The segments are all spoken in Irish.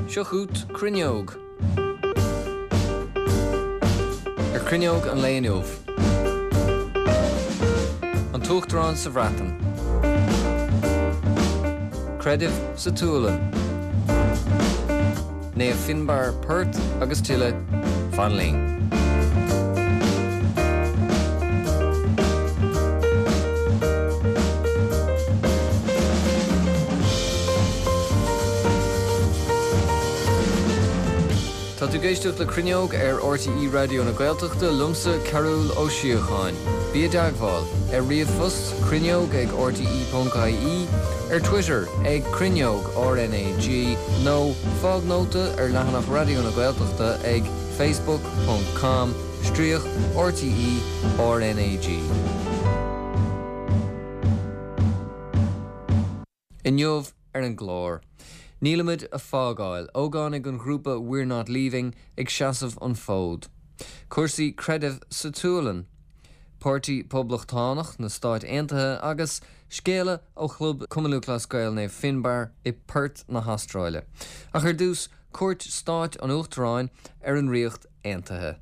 Seo chugat Cruinneog. Ar Chruinneog an lae inniu. An tUachtarán sa Bhreatain. Creideamh sa tSualainn. Naomh Finbarr Perth agus tuilleadh, fan linn. Tá tú ag éisteacht le Cruinneog ar RTÉ Raidió na Gaeltachta, liomsa Cearbhall Ó Síocháin. Bí i dteagmháil, ar ríomhphost, cruinneog ag rte.ie, ar Twitter ag Cruinneog RnaG nó fág nóta ar leathanach Raidió na Gaeltachta ag facebook ponc com stríoc RTÉ RnaG. Inniu ar an gclár, Nílimid a fágáil, ógánaigh an ghrúpa We're Not Leaving ag seasamh an fód. Cúrsaí creidimh sa tSualainn. Páirtí Poblachtánach na Stáit Aontaithe agus scéala ó Chlub Cumann Lúthchleas Gael Naomh Finbarr i Perth na hAstráile. Ach ar dtús, cuairt stáit an Uachtaráin ar an Ríocht Aontaithe.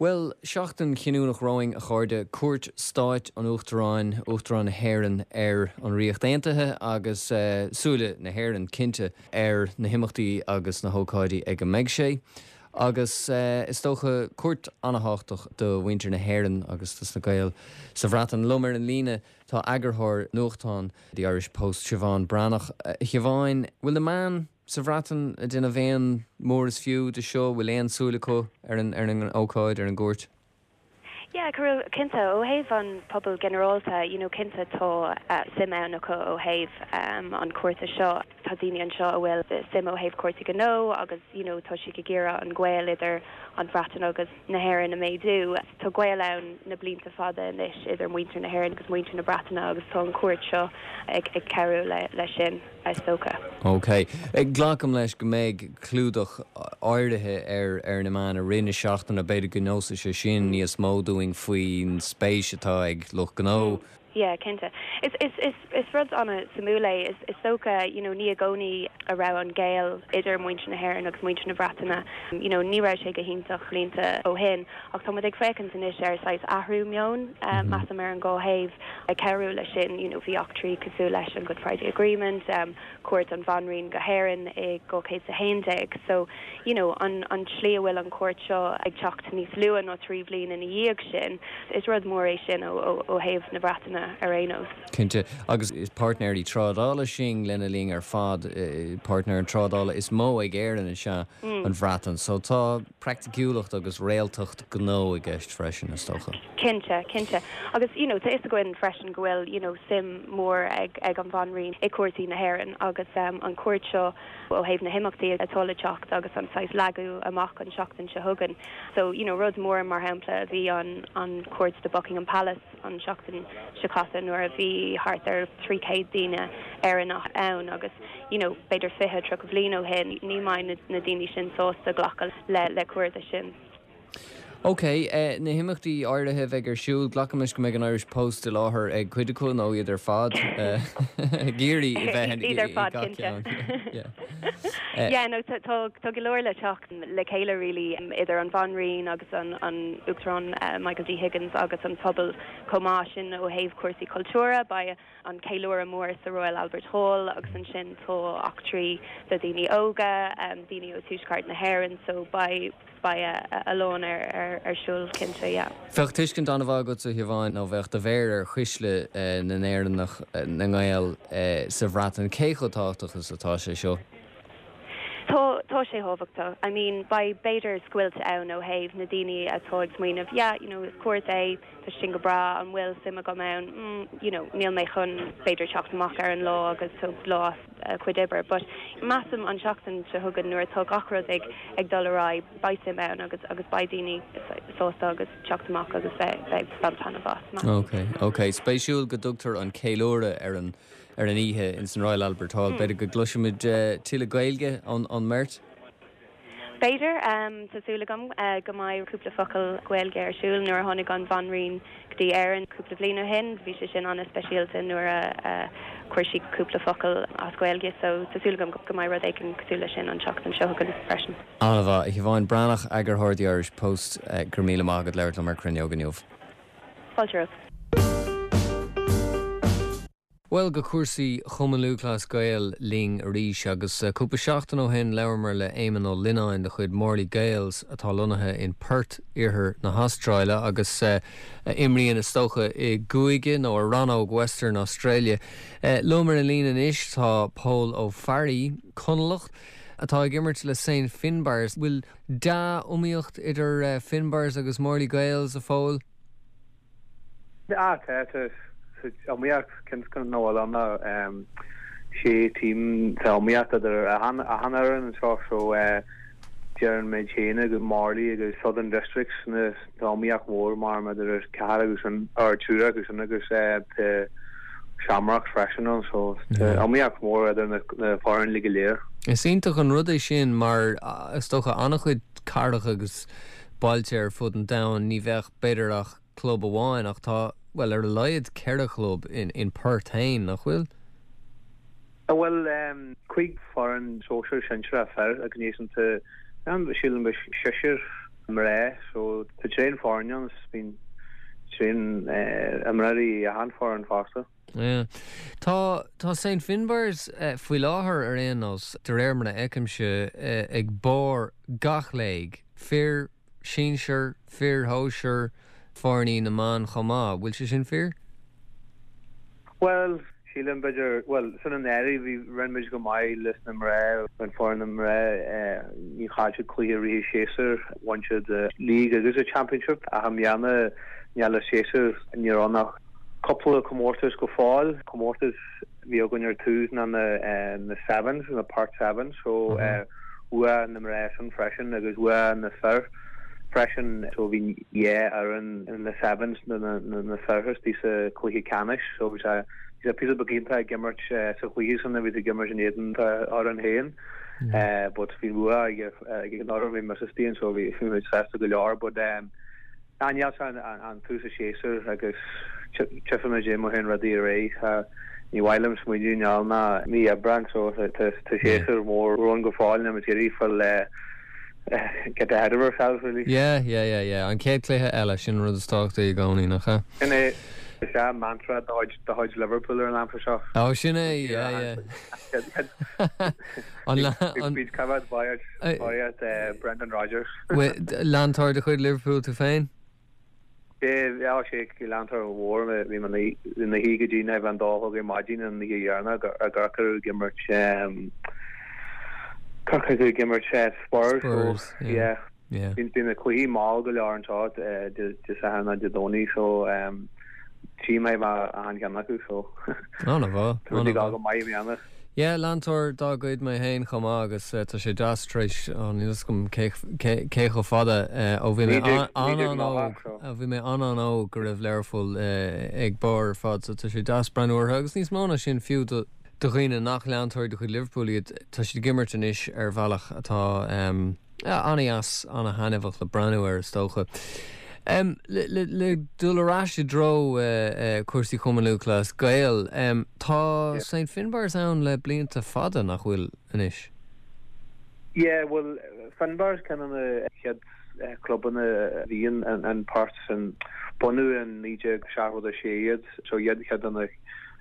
Bhuel, seachtain chinniúnach romhainn, a chairde, cuairt stáit an Uachtaráin, Uachtarán na hÉireann, ar an Ríocht Aontaithe agus súile na hÉireann, cinnte, ar na himeachtaí agus na hócáidí ag a mbeidh sé. Agus is dócha, cuairt an-thábhachtach do mhuintir na hÉireann agus dos na Gaeil sa Bhreatain. Liom ar an líne tá eagarthóir nuachtáin The Irish Post, Siobhán Breathnach. A Shiobháin, bhfuil na meáin sa Bhreatain ag déanamh aon mór is fiú de seo? Bhfuil aon súil acu ar an ar an ócáid, ar an gcuairt? Yeah, Cearbhall, cinnte, ó thaobh an pobal ginearálta, you know, cinnte tá suim ann acu ó thaobh an cuairte seo. Tá daoine anseo a bhfuil suim ó thaobh cúrsaí gnó agus, you know, tá siad ag iarraidh an gaol idir an Bhreatain agus na hÉireann a méadú. Tá gaol ann na blianta fada anois idir muintir na hÉireann agus muintir na Breataine agus tá an cuairt seo ag cabhrú leis sin. is dócha. OK. Glacaim leis go mbeidh clúdach áirithe ar ar na meáin i rith na seachtaine, b'fhéidir go neosfaidh sé sin níos mó dúinn faoin spéis atá ag lucht gnó. Yeah, cinnte. Is is is is rud an-suimiúil é. Is is dócha, you know, ní i gcónaí a raibh an gaol idir muintir na hÉireann agus muintir na Breataine, you know, ní raibh sé go hiontach blianta ó shin ach tá muid ag féachaint anois ar saghas athrú meoin, measaim, ar an dhá thaobh. Ag cabhrú leis sin, you know, bhí eachtraí cosúil leis an Good Friday Agreement, cuairt an Bhanríon go hÉirinn i 2011. So, you know, an an tslí a bhfuil an cuairt seo ag teacht níos luath ná 3 bhliain ina dhiaidh sin, is rud mór é sin ó ó ó thaobh na Breataine ar aon nós. Cinnte. Agus is páirtnéirí trádála sinn lena linn ar fad, páirtnéir trádála is mó ag Éirinn is ea an Bhreatain. So tá praiticiúlacht agus réaltacht gnó i gceist freisin, is dócha. Cinnte, cinnte. Agus, you know, tá fhios againn freisin go bhfuil, you know, suim mhór ag, ag an Bhanríon i cúrsaí na hÉireann agus an cuairt seo ó thaobh na himeachtaí atá le teacht agus an saghas leagadh amach an seachtain seo chugainn. So, you know, rud mór mar shampla a bhí an, an cuairt do Buckingham Palace an seachtain seo caite nuair a bhí thart ar 300 daoine Éireannach ann agus, you know, b'fhéidir 20, 30 bhliain ó shin ní mbeidh na, na daoine sin sásta glacadh le, le cuarda sin. Ok, na himeachtaí áirithe a bheidh ar siúl, glacaim leis go mbeidh an Irish Post i láthair ag cuid acu nó iad ar fad ag iarraidh a bheith i gach ceann. Yeah, no, tá go leor le teacht le chéile really idir an Bhanríon agus an Uachtarán Michael D Higgins agus an pobal chomh maith sin ó thaobh cúrsaí cultúrtha, beidh an ceiliúradh mór sa Royal Albert Hall agus ansin tá eachtraí do dhaoine óga, daoine ó tuaisceart na hÉireann so beidh beidh a lán ar siúl cinnte, yeah. Bheadh tuiscint an-mhaith agatsa, a Shiobháin, nó bheadh do mhéar ar chuisle na nÉireannach, na nGael sa Bhreatain. Cé chomh tábhachtach is atá sé seo? Tá, tá sé thábhachtach. I mean, beidh b'fhéidir scoilt ann ó thaobh na daoine atá ag smaoineamh, yeah, you know, is cuairt é, tá sé sin go breá, an bhfuil suim agam ann? Mm, you know, níl mé chun b'fhéidir teacht amach ar an lá agus tóg lá as a cuid oibre. But measaim an seachtain seo chugainn nuair atá gach rud ag ag dul ar aghaidh beidh suim ann agus agus beidh daoine sásta agus teacht amach agus beidh beidh baint taitneamh as, measaim. Ok, ok. Spéisiúil go dtugtar an ceiliúradh ar an ar an oíche ins an Royal Albert Hall. B'fhéidir go gcloisfimid tuilleadh Gaeilge ón ón mbeirt? B'fhéidir. Tá súil agam go mbeidh cúpla focal Gaeilge ar siúl. Nuair a tháinig an Bhanríon go dtí Éirinn cúpla bliain ó shin, bhí sé sin an-speisialta nuair a. chuir sí cúpla focal as Gaeilge so tá súil agam go mbeidh rud éigin cosúil leis sin an tseachtain seo chugainn freisin. An-mhaith. A Shiobháin Breathnach, Eagarthóir The Irish Post, go raibh míle maith agat labhairt liom ar Cruinneog inniu. Fáilte romhat. Bhuel, go cúrsaí Chumann Lúthchleas Gael linn arís agus cúpla seachtain ó shin labhramar le Éamonn Ó Lionáin de chuid Morley Gaels atá lonnaithe in Perth, iarthar na hAstráile agus a imríonn is dócha i gcúige nó i rannóg Western Australia. Liom ar an líne anois tá Pól Ó Fearraigh, Conallach, atá ag imirt le St Finbarrs. Bhfuil dea-iomaíocht idir Finbarrs agus Morley Gaels, a Phóil? Ah, tá, tá iomaíocht, cinnte nach bhfuil ann ach sé team, tá iomaíocht idir achan fhoireann anseo so deireann muid féin agus Morley agus Southern Districts na tá iomaíocht mhór mar idir an ceathrar acu sin, or triúr acu sin agus tá Shamrocks freisin ann so tá iomaíocht mhór idir na foirne go léir. Is iontach an rud é sin mar is dócha an-chuid cathracha agus bailte ar fud an domhain ní bheadh b'fhéidir ach club amháin ach tá, bhuel, ar a laghad 4 chlub in Perth féin, nach bhfuil? Bhuel, 5 foireann sóisear, sinsearach fir agus ansin tá, sílim, seisear mná so tá tréan foirne ann is bíonn tréan imreoirí i achan foireann fosta. Yeah. Tá, tá St Finbarrs faoi láthair ar aon nós, de réir mar a fheicimse, ag barr gach léig, fir, sinsear, fir shóisear, foirní na mban chomh maith. Bhfuil sé sin fíor? Bhuel, sílim, b'fhéidir, bhuel, san an earraigh bhí, rinne muid go maith leis na mná, an foireann na mná, níor chaill siad cluiche i rith an séasúr, bhain siad league agus an championship ach i mbliana níl an séasúr, ní raibh ann ach cúpla comórtas go fóill, comórtas a bhí againn ar tús ná na na sevens, na Perth Sevens, so bhuaigh na mná sin freisin agus bhuaigh na fir freisin, so bhí dhá fhoireann na sevens na na fir istigh sa chluiche ceannais, so bhí sé bhí sé píosa beag iontach ag imirt sa chluiche sin a bhí ag imirt in éadan fhoireann féin, but bhí an bua ag ag an fhoireann bhí mise istigh ann so bhí bhí muid sásta go leor but Níl sé an tús an séasúr agus tchífimid é mar théann rudaí ar aghaidh. Ní mhaith liom smaoineamh níl ná mí Aibreán so tá séasúr mór romhainn go fóill níl muid ag iarraidh fuil get ahead of ourselves really. Yeah, yeah, yeah, yeah. An chéad chluiche eile, sin an rud is tábhachtaí i gcónaí, nach ea? Sin é. Is ea mantra de chuid Liverpool ar an aimsir seo. Ó, sin é, yeah, yeah. An. Bíd coimhéad báireacht Brendan Rodgers. Leantóir de chuid Liverpool tú féin? Sea, sé leantóir mhór mé. Bhí mé ina shuí go dtí an dó a chlog ar maidin an oíche dheireanach i gCorcaigh ag imirt Corcaigh ag imirt Spurs. Spurs, yeah. Yeah. Bíonn na cluichí mall go leor anseo Dé Sathairn nó Dé Domhnaigh so tchí mé achan cheann acu so An-mhaith, tá rudaí ag dul go maith i mbliana. Yeah, leantóir dá gcuid mé féin chomh maith agus tá sé deas tar éis, oh níl fhios agam cé cé chomh fada ó bhí mé an-an-óg, ó bhí mé an-an-óg go raibh Learpholl ag barr ar fad so tá sé deas breathnú orthu agus níos mó ná sin fiú do do dhaoine nach leantóirí de chuid Liverpool iad, tá siad ag imirt anois ar bhealach atá An-dheas, an-thaitneamhach le breathnú air, is dócha. Le dul ar ais i dtreo cúrsaí Chumann Lúthchleas Gael, tá St Finbarrs ann le blianta fada, nach bhfuil anois? Yeah, bhuel, Finbarrs ceann de na chéad clubanna a bhí in Perth sin. Bunaíodh in 1976 iad, so iad ceann de na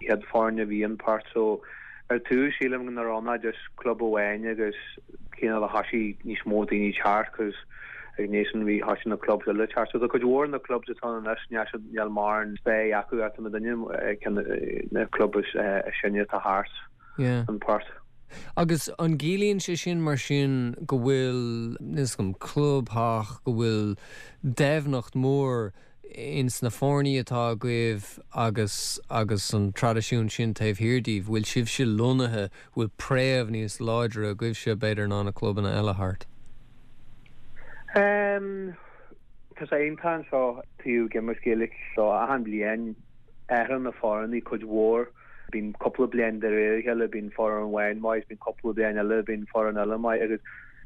chéad foirne a bhí in Perth. So ar tús sílim nach raibh ann ach just club amháin agus cineál a thoisigh níos mó daoine teacht cos ag an am sin bhí thoisigh na clubs eile teacht. So tá cuid mhór na clubs atá ann anois níl siad níl mórán stair acu ach tá muidinne ceann na club is sine atá thart Yeah. in Perth. Agus an gciallaíonn sé sin mar sin go bhfuil, níl 'fhios agam, clubtheach, go bhfuil doimhneacht mhór ins na foirní atá agaibh agus agus an traidisiún sin taobh thiar díbh, bhfuil sibhse lonnaithe, bhfuil préamh níos láidre agaibhse b'fhéidir ná na clubanna eile thart? Em, tá sé iontach anseo taobh ag imirt Gaeilge so achan bhliain athraíonn na foirní cuid mhór. Bíonn cúpla bliain de réir a chéile, bíonn foireann amháin maith, bíonn cúpla bliain eile, bíonn foireann eile maith agus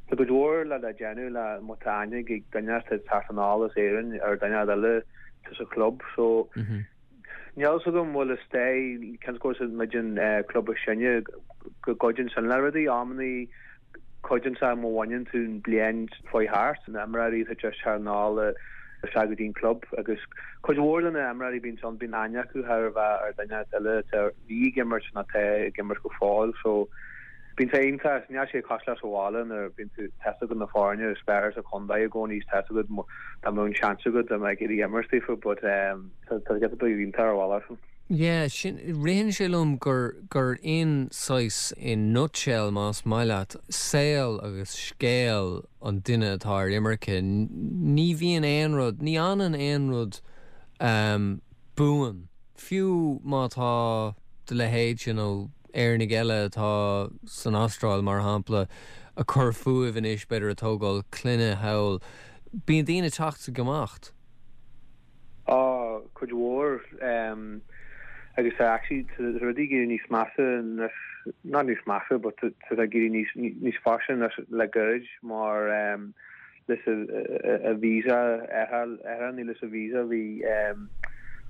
tá cuid mhór le le déanamh le má tá aithne ag duine atá ag teacht anall as Éirinn ar duine eile atá sa chlub so. Níl fhios agam bhfuil is dóigh cén scór is muid an club is sine go gcuidíonn sin le rudaí amannaí cuidíonn sé má bhaineann tú an bliain faoi thart, na imreoirí atá just thar anall isteach go dtí an club agus cuid mhór de na imreoirí bíonn ann bíonn aithne acu thar a bheith ar duine eile atá bhí ag imirt nó atá ag imirt go fóill so Bíonn sé iontach, níl sé cosúil le sa bhaile nuair a bíonn tú, tá fhios agat na foirne is fearr sa chontae i gcónaí is tá fhios agat dá mbeadh an seans agat dá mbeadh ag iarraidh imirt daofa but tá tá giota beag iontach ar bhealach sin. Yeah, sin, ritheann sé liom gur, gur in saghas, in nutshell más maith leat, saol agus scéal an duine atá ar imirce, ní bhíonn aon rud, ní fhanann aon rud buan, fiú má tá do leithéidse nó Éireannaigh eile atá san Astráil, mar shampla, ag cur fúthu anois, b'fhéidir ag tógáil clainne thall. Bíonn daoine ag teacht is ag imeacht. Á, cuid mhór. Agus tá actually, tá rudaí ag éirí níos measa anois, not níos measa, but tá sé ag éirí níos, níos fusa anois le gairid mar leis a visa ar ní leis a visa bhí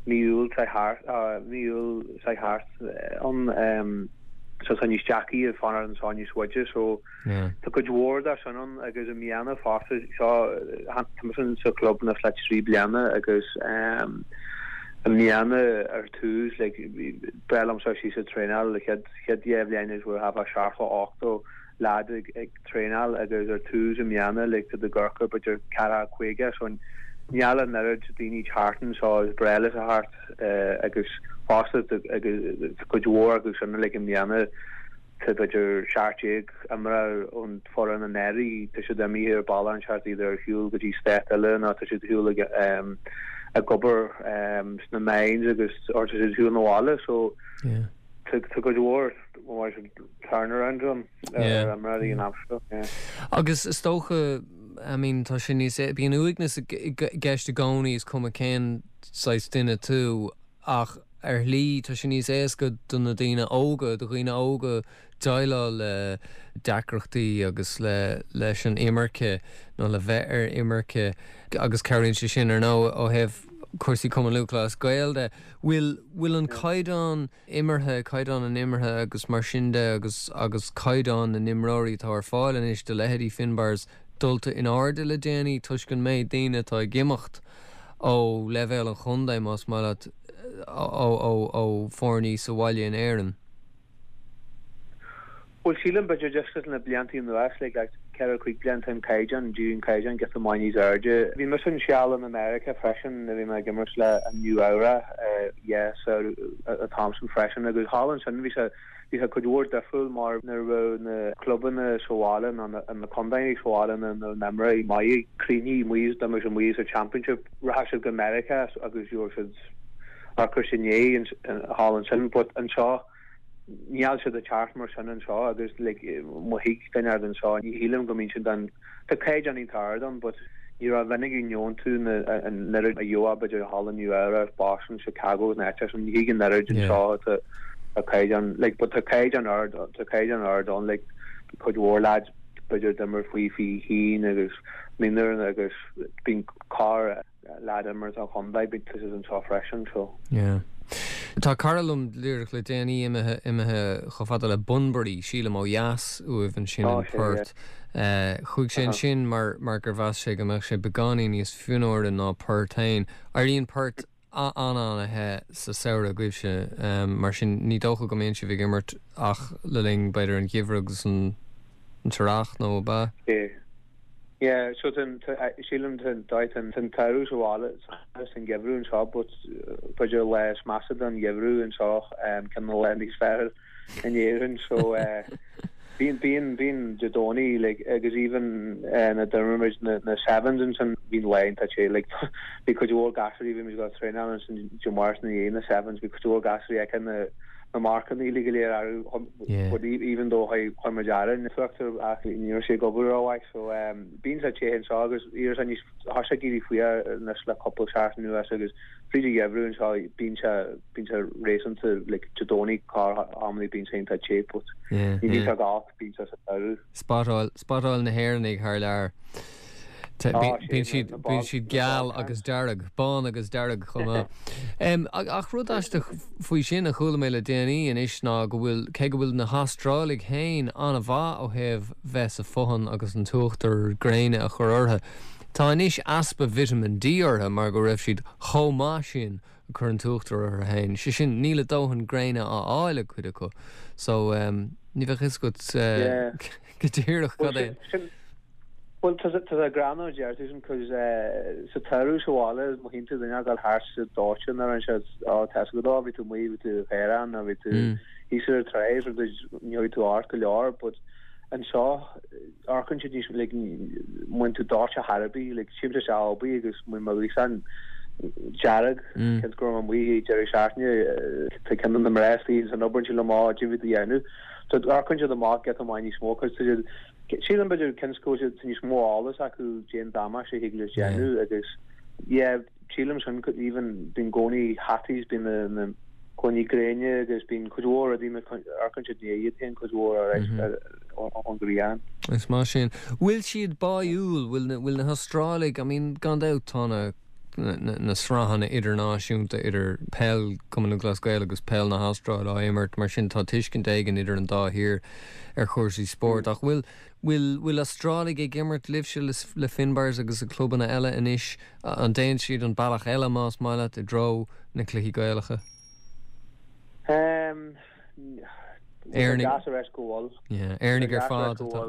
mí Iúil thart mí Iúil thart ann so tá níos deacra fanacht anseo níos faide so tá cuid mhór de sin ann agus i mbliana fosta seo tá mise sa chlub anois le 3 bliana agus i mbliana ar tús like breá liomsa síos ag traenáil le chéad chéad 2 bhliain is we're have a 70 80 leaid ag traenáil agus ar tús i mbliana like tá ag amharc b'fhéidir 40 50 so níl an oiread daoine thart anseo is breá leis a theacht agus fosta agus cuid mhór acu sin like i mbliana tá b'fhéidir 17 imreoir ón foireann anuraidh tá siad imithe ar bealach inteacht iad ar shiúl go dtí stát eile nó tá siad ar shiúl ag ag obair sna mines agus or tá siad ar shiúl na bhaile so tá cuid mhór turnaround ann ar imreoirí an am seo. Agus is dócha, I mean, tá sé níos, bíonn uaigneas i gceist i gcónaí, is cuma cén saghas duine tú, ach ar shlí tá sé níos éasca do na daoine óga, do dhaoine óga déileáil le deacrachtaí agus le leis an imirce nó le bheith ar imirce agus cabhraíonn sé sin ar ndóigh ó thaobh cúrsaí Cumann Lúthchleas Gael de. Bhfuil, bhfuil an caighdeán imeartha, caighdeán an imeartha agus mar sin de agus agus caighdeán na n-imreoirí atá ar fáil anois do leithéidí Finbarrs dulta in airde le déanaí toisc an méid daoine atá ag imeacht ó leibhéal an chontae, más maith leat, ó ó ó foirní sa bhaile in Éirinn. Bhuel, sílim, b'fhéidir just leis na blianta anuas, like, like 4, 5 bliain, tá an caighdeán, d'éirigh an caighdeán giota maith níos airde. Bhí mise an seal in America freisin, bhí mé ag imirt le an Nua Eabhrac, yeah, so an t-am sin freisin agus thall ansin bhí sé, bhí sé cuid mhór difriúil mar nuair a bheadh na clubanna sa bhaile nó na, na contaetha sa bhaile na, na n-imreoirí maithe críochnaithe amuigh, d'imir siad amuigh sa championship, rachadh siad go America agus gheobhadh siad ocras i ndiaidh thall ansin but anseo, Níl siad ag teacht mar sin anseo agus like má thig duine ard anseo ní shílim go mbíonn siad an tá caighdeán iontach ard ann but ní ró-mhinic a gheobhann tú na an oiread a gheofá b'fhéidir thall i Nua Eabhrac, Boston, Chicago na áiteacha sin ní thig an oiread anseo tá tá caighdeán like but tá caighdeán ard tá caighdeán ard ann like cuid mhór lads b'fhéidir d'imir faoi 21 agus mionúir agus bíonn corr leaid imirt an chontae, bíonn siad anseo freisin so. Yeah. Tá cara liom díreach le déanaí imithe, imithe chomh fada le Bunbury, sílim ó dheas uaibh ansin in Perth. Chuaigh sé ansin mar, mar gur mheas sé go mbeadh sé beagáinín níos fionnuaire ná Perth féin. Éiríonn Perth an-an-the sa samhradh agaibhse, mar sin ní dócha go mbíonn sibh ag imirt ach le linn b'fhéidir an gheimhridh agus an t-earrach nó ab ea? Yeah. Yeah, so tá an, sílim tá an, tá an t-samhradh sa bhaile is an geimhreadh anseo but b'fhéidir lá is measa den gheimhreadh anseo ceann de na laethanta is fearr in Éirinn so bíonn, bíonn, bíonn Dé Domhnaigh like agus even nuair a d'imir muid na, na sevens ansin bíonn lá iontach te like bhí cuid mhór gasúirí bhí muid ag traenáil ansin Dé Máirt ina dhiaidh na sevens bhí cuid mhór gasúirí aici na na marcanna uilig go léir orthu but even though chuir muid aire an t-uachtar ach ní raibh sé ag obair rómhaith so bíonn sé te anseo agus iarr sé níos tá sé ag éirí fuar anois le cúpla seachtain anuas agus fríd an gheimhreadh anseo bíonn sé bíonn sé réasúnta like Dé Domhnaigh corr amannaí bíonn sé iontach te but ní bhíonn sé go holc bíonn sé sa samhradh. Spotáil, spotáil na hÉireannaigh thar lear. Bíonn siad, bíonn siad geal agus dearg, bán agus dearg chomh maith. Ach rud aisteach faoi sin a chuala mé le déanaí anois ná go bhfuil, cé go bhfuil na hAstrálaigh féin an-mhaith ó thaobh bheith sa bhfothain agus an t-uachtar gréine a chur orthu, tá anois easpa vitamin D orthu mar go raibh siad chomh maith sin ag cur an t-uachtar orthu féin. Sé sin, níl a dóthain gréine á fháil ag cuid acu. So, ní bheadh fhios agat go díreach cad é. Bhuel, tá sé greannmhar a deir tú sin, cos sa tsamhradh sa bhaile, má tchíonn tú duine ag dul thart sa dóiteán ar an siad, ó, tá fhios agat, ó, bhí tú amuigh, bhí tú i gcaorán, nó bhí tú thíos ar an trá, is rud ní thógfaidh tú ort go leor, but anseo, amharcann siad níos, like, má bhíonn tú dóite thar ar bith, like, tchímse isteach abaí agus má bhíonn mo ghaosán dearg, cionn is go raibh mé amuigh ag deireadh seachtaine, tá ceann de na mná istigh san obair ansin liom, ó, cad é bhí tú a dhéanamh. So, amharcann siad amach giota maith níos mó, cos tá siad, Sílim b'fhéidir cionn is go bhfuil tá níos mó eolas acu cén damáiste a thig leis déanamh agus yeah sílim sin even bíonn i gcónaí hataí bíonn na na coinní gréine agus bíonn cuid mhór rudaí mar amharcann siad i ndiaidh iad féin cuid mhór ar ón ghrian. Is maith sin. Bhfuil siad báúil, bhfuil na bhfuil na hAstrálaigh, I mean gan dabht tá na na sraitheanna idirnáisiúnta idir peil Chumann Lúthchleas Gael agus peil na hAstráile á imirt, mar sin tá tuiscint éigin idir an dá thír ar chúrsaí spóirt. Ach bhfuil, bhfuil, bhfuil Astrálaigh ag imirt libhse le, le Finbarrs agus le clubanna eile anois? An dtéann siad an bealach eile, más maith leat, i dtreo na cluichí Gaelacha? Éireannaigh. Deas a rá go bhfuil. Yeah, Éireannaigh ar fad atá,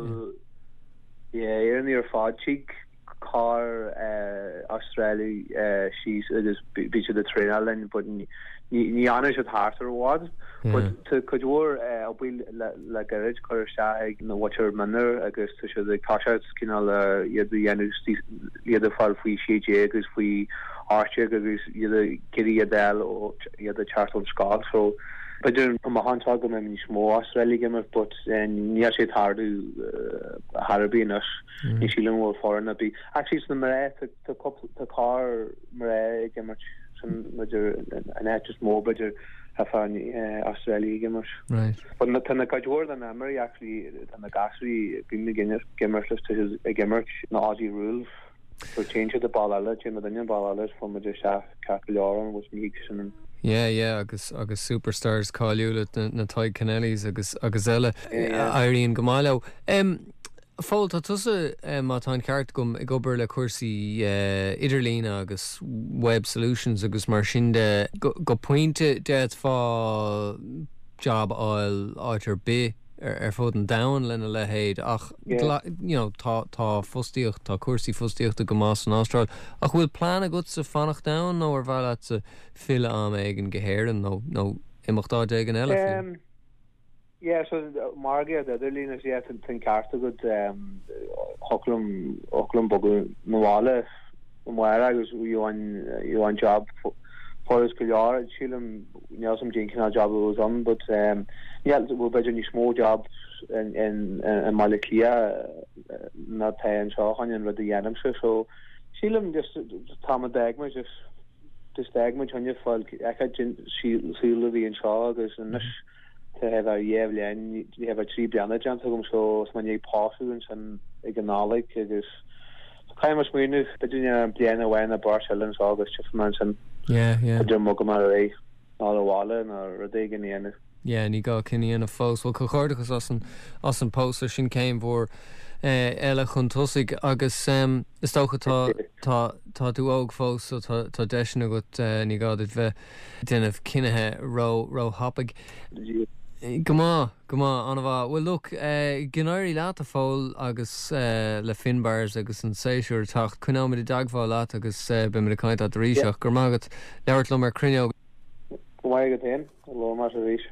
yeah. Yeah, Éireannaigh ar fad. Tig corr Astrálaigh síos agus bíonn siad ag traenáil linn but ní fhanann siad thart ar i bhfad. But tá cuid mhór obair le gairid curtha isteach ag na mhuintir mionúir agus tá siad ag toiseacht cineál iad a dhéanamh iad a fáil faoi 16 agus faoi 18 agus iad ag iarraidh iad a fháil iad ag teacht ón scoil so b'fhéidir amach anseo go mbeidh níos mó Astrálaigh ag imirt but níl sé ag tarlú thar ar bith anois. Ní sílim go bhfuil foireann ar bith. Actually sna mná tá cúpla tá corr mná ag imirt sin b'fhéidir an áit is mó b'fhéidir a fáil Astrálaigh ag imirt. Right. But na tá na cuid mhór den imreoirí actually tá na gasúirí bím ag imirt leis tá siad ag imirt na Aussie Rules. So téann siad an bealach eile, téann muidinne an bealach eile is fágann muid isteach ceart go leor ann which ní thig sin an Yeah, yeah, agus agus superstars cáiliúla na na Tadhg Kennellys agus agus eile éiríonn go maith leo. Em Phóil, tá tusa, má tá an ceart agam, ag obair le cúrsaí idirlíne agus web solutions agus mar sin de. Go pointe, d'fhéadfá jab a fháil áit ar bith ar fud an domhain lena leithéid ach you know tá tá fostaíocht, tá cúrsaí fostaíochta go maith san Astráil. Ach bhfuil plean agatsa fanacht ann nó ar mhaith leatsa filleadh am éigin go hÉirinn nó nó imeacht áit éigin eile fiú? Yeah, so margaíocht idirlín is yeah, tá an ceart agat thiocfadh liom thiocfadh liom bogadh 'na bhaile amárach agus gheobhainn gheobhainn job furast go leor sílim níl 'fhios a'm cén cineál job a bheadh ann but níl bhuel b'fhéidir níos mó jobs in in i mBaile Átha Cliath ná tá anseo chun an rud a dhéanaimse so sílim just tá mé d'fhág mé just just d'fhág muid choinne fáil feiceáil saol a bhí anseo agus anois Tá thar dhá bhliain, thar 3 bliana déanta agam so tá mé i ndiaidh pósadh ansin ag an Nollaig agus caithfidh mé smaoineamh, b'fhéidir bliain amháin nó beirt eile anseo agus tchífidh mé ansin. Yeah, yeah. B'fhéidir mbogfaidh mé ar aghaidh nó abhaile nó rud éigin a dhéanamh. Yeah, ní gá cinneadh a dhéanamh fós. Bhuel, comhghairdeachas as an, as an pósadh, sin céim mhór eile chun tosaigh agus is dócha tá, tá, tá tú óg fós so tá, tá deiseanna agat, ní gá duit bheith déanamh cinnithe ró, ró-thapaidh. Go maith, go maith, an-mhaith. Bhuel look, go n-éirí leat a Phóil agus le Finbarrs agus an séasúr ag teacht. Coinneoimid i dteagmháil leat agus beimid ag caint leat arís ach go raibh maith agat labhairt liom ar Cruinneog. Go raibh maith agat féin, labhróidh muid arís.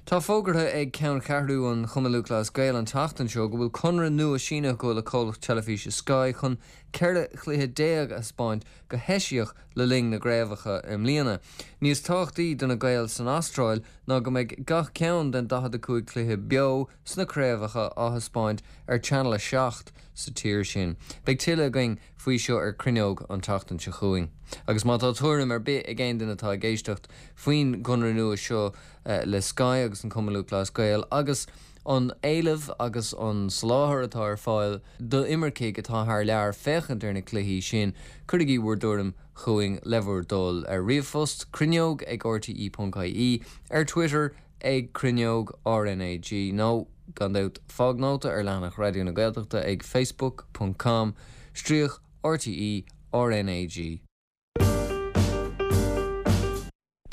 Tá fógartha ag Ceanncheathrú an Chumainn Lúthchleas Gael an tseachtain seo go bhfuil conradh nua sínithe acu le comhlacht teilifíse Sky chun 14 chluiche a thaispeáint go heisiach le linn na gcraobhacha i mbliana. Níos tábhachtaí do na Gaeil san Astráil ná go mbeidh gach ceann den 45 cluiche beo sna craobhacha á thaispeáint ar Channel 7 sa tír sin. Beidh tuilleadh againn faoi seo ar Cruinneog an tseachtain seo chugainn. Agus má tá tuairim ar bith ag aon duine atá ag éisteacht faoin gconradh nua seo le Sky agus an Cumann Lúthchleas Gael agus. An éileamh agus an soláthar atá ar fáil d'imircigh atá thar lear féachaint ar na cluichí sin, cuirigí bhur dtuairim chugainn le bhur dtoil ar ríomhphost, cruinneog ag rte.ie, ar Twitter ag cruinneog RnaG nó, gan dabht, fág nóta ar leathanach Raidió na Gaeltachta ag facebook ponc com stríoc rte RnaG.